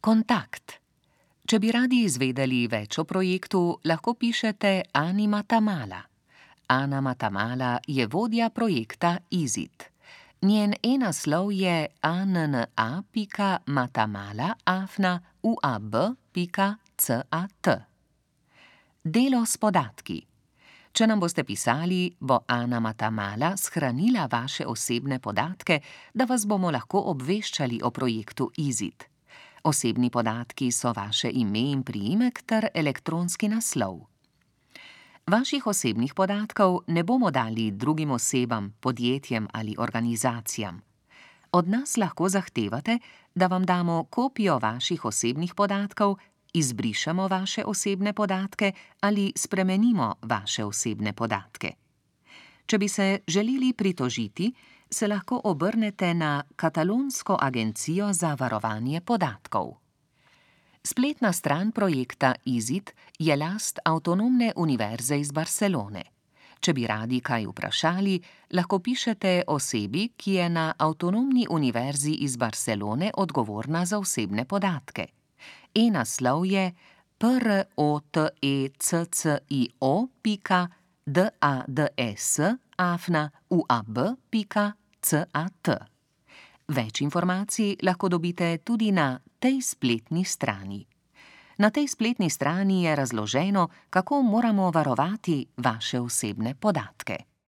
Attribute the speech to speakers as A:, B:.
A: Kontakt. Če bi radi izvedeli več o projektu, lahko pišete Ani Matamala. Ana Matamala je vodja projekta IZIT. Njen e-naslov je anna.matamala@uab.cat. Delo s podatki. Če nam boste pisali, bo Ana Matamala shranila vaše osebne podatke, da vas bomo lahko obveščali o projektu IZIT. Osebni podatki so vaše ime in priimek ter elektronski naslov. Vaših osebnih podatkov ne bomo dali drugim osebam, podjetjem ali organizacijam. Od nas lahko zahtevate, da vam damo kopijo vaših osebnih podatkov, izbrišemo vaše osebne podatke ali spremenimo vaše osebne podatke. Če bi se želeli pritožiti, se lahko obrnete na Katalonsko agencijo za varovanje podatkov. Spletna stran projekta IZIT je last Avtonomne univerze iz Barcelone. Če bi radi kaj vprašali, lahko pišete osebi, ki je na Avtonomni univerzi iz Barcelone odgovorna za osebne podatke. E-naslov je proteccio.dads@uab.cat. Več informacij lahko dobite tudi na tej spletni strani. Na tej spletni strani je razloženo, kako moramo varovati vaše osebne podatke.